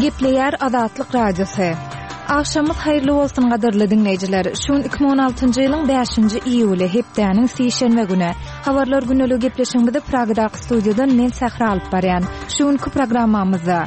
Gepleýär Azatlyk Radiosy. Agşamyz haýyrly bolsun gadyrly diňleýjiler. Şu gün 2016-njy ýylyň 5-nji iýuly, hepdäniň sişenbe güni. Habarlar güneligi gepleşigimizi Pragadaky studiýadan men Sähra alyp barýan. Şu günki programmamyzda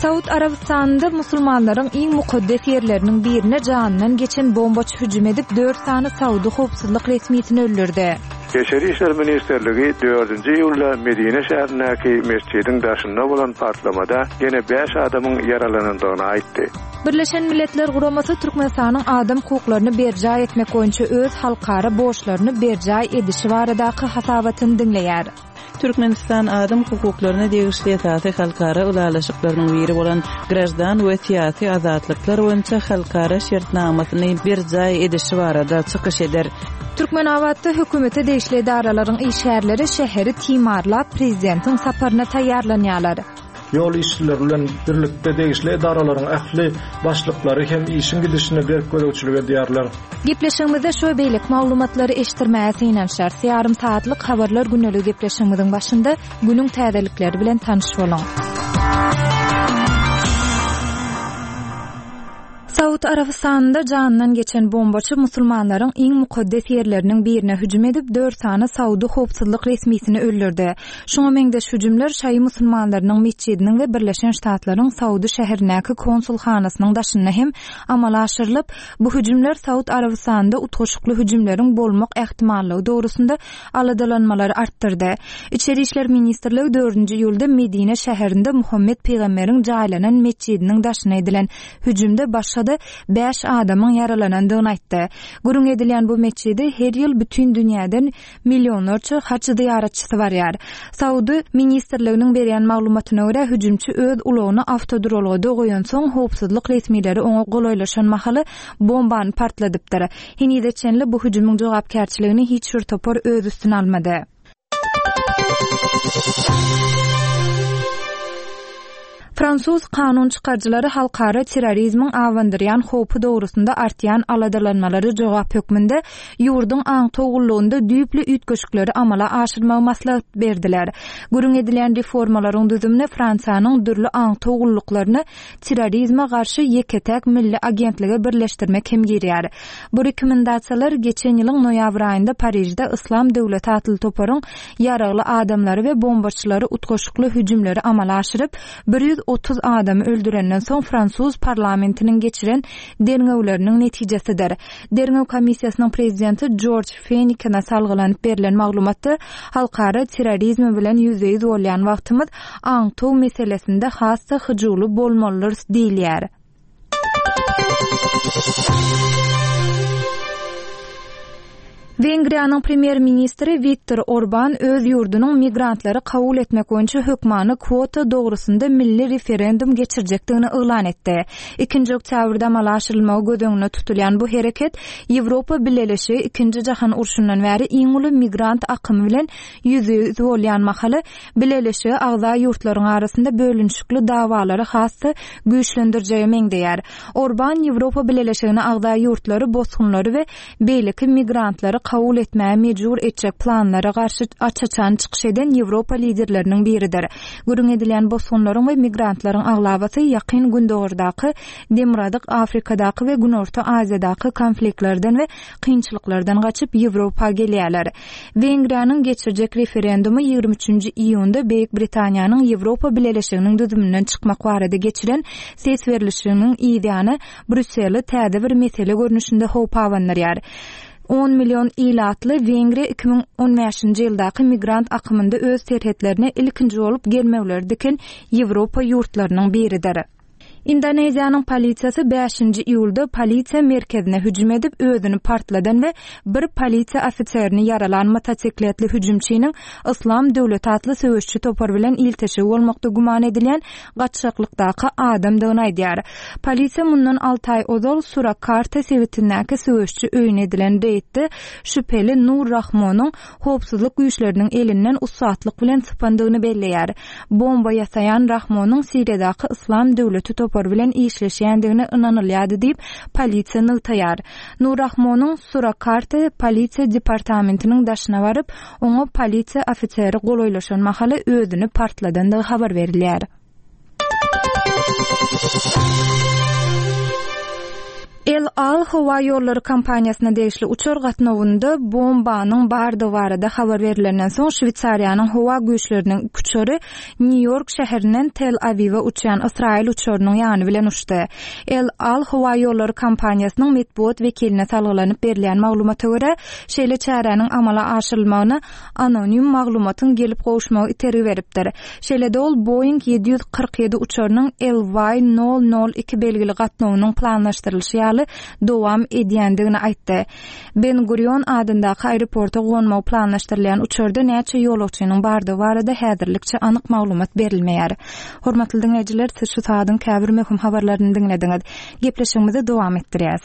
Saud Arabystanynda musulmanlaryň iň mukaddes ýerleriniň birine janyndan geçen bombaçy hüjüm edip, dört sany saudy howpsuzlyk resmisini öldürdi. Içeri işler ministrligi dördünji iýulda Medine şäherindäki metjidiň daşynda bolan partlamada ýene bäş adamyň ýaralanandygyny aýtdy. Birleşen Milletler Guramasy Türkmenistanyň adam hukuklaryny berjaý etmek boýunça öz halkara borçlaryny berjaý edişi baradaky hasabatyny diňleýär. Türkmenistan adam hukuklaryna degişli esasy halkara ylalaşyklarynyň biri bolan Graždan we syýasy azatlyklar boýunça halkara şertnamasyny berjaý edişi barada çykyş eder. Türkmenabatda hökümete degişli edaralaryň işgärleri şäheri timarlap, prezidentiň saparyna taýýarlanýarlar. Ýol işçileri bilen birlikde degişli edaralaryň ähli başlyklary hem işiň gidişine berk gözegçilik edýärler. Gepleşigimizde şu we beýleki maglumatlary eşitdirmäge synanyşarys. Ýarym sagatlyk Habarlar gündeligi gepleşigimiziň başynda günüň täzelikleri bilen tanyş boluň. Saud Arabystanynda janyndan geçen bombaçy musulmanlaryň iň mukaddes ýerleriniň birine hüjüm edip, dört sany saudy howpsuzlyk resmisini öldürdi. Şuňa meňzeş hüjümler şaýy musulmanlarynyň metjidiniň we Birleşen Ştatlaryň Saudy şäherindäki konsulhanasynyň daşynda hem amala aşyrylyp, bu hüjümler Saud Arabystanynda utgaşykly hüjümleriň bolmak ähtimallygy dogrusynda aladalanmalary artdyrdy. Içeri işler ministrligi dördünji iýulda Medine şäherinde Muhammet pygamberiň jaýlanan metjidiniň daşyna edilen hüjümde başga-da bäş adamyň ýaralanandygyny aýtdy. Gürrüň edilýän bu metjide her ýyl bütin dünýäden millionlarça haj zyýaratçysy barýar. Saudy ministrliginiň berýän maglumatyna görä, hüjümçi öz ulagyny awtoduralgada goýansoň, howpsuzlyk resmileri oňa golaýlaşan mahaly bombany partladypdyr. Henize çenli bu hüjümiň jogapkärçiligini hiç bir topar öz üstüne almady. Fransuz kanun çykaryjylary halkara terrorizmiň abandyrýan howpy dogrusynda artýan aladalanmalara jogap hökmünde ýurduň aňtaw gullugynda düýpli üýtgeşikleri amala aşyrmagy maslahat berdiler. Gürrüň edilýän reformalaryň düzümine Fransiýanyň dürli aňtaw gulluklaryny terrorizme garşy ýeke-täk milli agentlige birleşdirmek hem girýär. Bu rekomendasiýalar geçen ýylyň noýabr aýynda Parižde Yslam döwleti atly toparyň ýaragly adamlary we bombaçylary utgaşykly hüjümleri amala aşyryp, 130 adamy öldürenden soň fransuz parlamentiniň geçiren derňewleriniň netijesidir. Derňew komissiýasynyň prezidenti Jorj Fenikene salgylanyp berlen maglumatda, halkara terrorizmi bilen ýüzbe-ýüz bolýan wagtymyz aňtaw meselesinde has-da hyjuwly bolmalydyrys diýilýär. Wengriýanyň premýer-ministri Wiktor Orban öz ýurdunyň migrantlary kabul etmek boýunça hökmany kwota dogrusynda milli referendum geçirjekdigini yglan etdi. Ikinji oktýabrda amala aşyrylmagy göz öňünde tutulýan bu hereket Ýewropa Bileleşigi Ikinji jahan urşundan bäri iň uly migrant akymy bilen ýüzbe-ýüz bolýan mahaly Bileleşige agza ýurtlaryň arasynda bölünişikli dawalary has-da güýçlendirjege meňzeýär. Orban Ýewropa Bileleşigine agza ýurtlary bosgunlary we beýleki migrantlary kabul etmäge mejbur etjek planlara garşy aç-açan çykyş eden Ýewropa liderleriniň biridir. Gürrüň edilýän bosgunlaryň we migrantlaryň aglabasy Ýakyn Gündogardaky, Demirgazyk Afrikadaky we Günorta Aziýadaky konfliktlerden we kynçylyklardan gaçyp Ýewropa gelýärler. Wengriýanyň geçirjek referendumy 23-nji iýunda Beýik Britaniýanyň Ýewropa Bileleşiginiň düzüminden çykmak barada geçiren ses berlişiginiň yzýany Brýusseli täze bir mesele görnüşinde howp abandyrýar. On million ilatly Wengriýa 2015-nji ýyldaky migrant akymynda öz serhetlerine ilkinji bolup germewleri diken Ýewropa ýurtlarynyň biridir. Indoneziýanyň polisiýasy bäşinji iýulda polisiýa merkezine hüjüm edip, özüni partladan we bir polisiýa ofiserini ýaralan motosikletli hüjümçiniň Yslam döwleti atly söweşçi topar bilen ilteşigi bolmakda güman edilýän gaçgaklykdaky adamdygyny aýdýar. Polisiýa mundan alty aý ozal Surakarta sebitindäki söweşçi öýüne edilen reýdde şübheli Nur Rahmonyň howpsuzlyk güýçleriniň elinden ussatlyk bilen sypandygyny belleýär. Bomba ýasaýan Rahmonyň Siriýadaky Yslam döwleti topary bilen işleşýändigine ynanylýardy diýip, polisiýa nygtaýar. Nur Rahmonyň Surakarta polisiýa departamentiniň daşyna baryp, oňa polisiýa ofiseri golaýlaşan mahaly özüni partladandygy habar berilýär. El Al howa ýollary kompaniýasyna degişli uçar gatnawynda bombanyň bardygy barada habar berlenden soň, Şweýsariýanyň howa güýçleriniň iki uçary Nýu-Ýork şäherinden Tel-Awiwe uçýan ysraýyl uçarynyň ýany bilen uçdy. El Al howa ýollary kompaniýasynyň metbugat wekiline salgylanyp berilýän maglumata görä, şeýle çäräniň amala aşyrylmagyna anonim maglumatyň gelip gowuşmagy itergi beripdir. Şeýle-de ol Boeing 747 uçarynyň LY nol nol iki belgili gatnawynyň planlaşdyrylyşy ýaly dowam edýändigini aýtdy. Ben-Gurion adyndaky aeroporta gonmagy planlaşdyrylýan uçarda näçe ýolagçynyň bardygy barada häzirlikçe anyk maglumat berilmeýär. Hormatly diňleýjiler, siz şu saadyň käbir möhüm habarlaryny diňlediňiz. Gepleşigimizi dowam etdirýäs.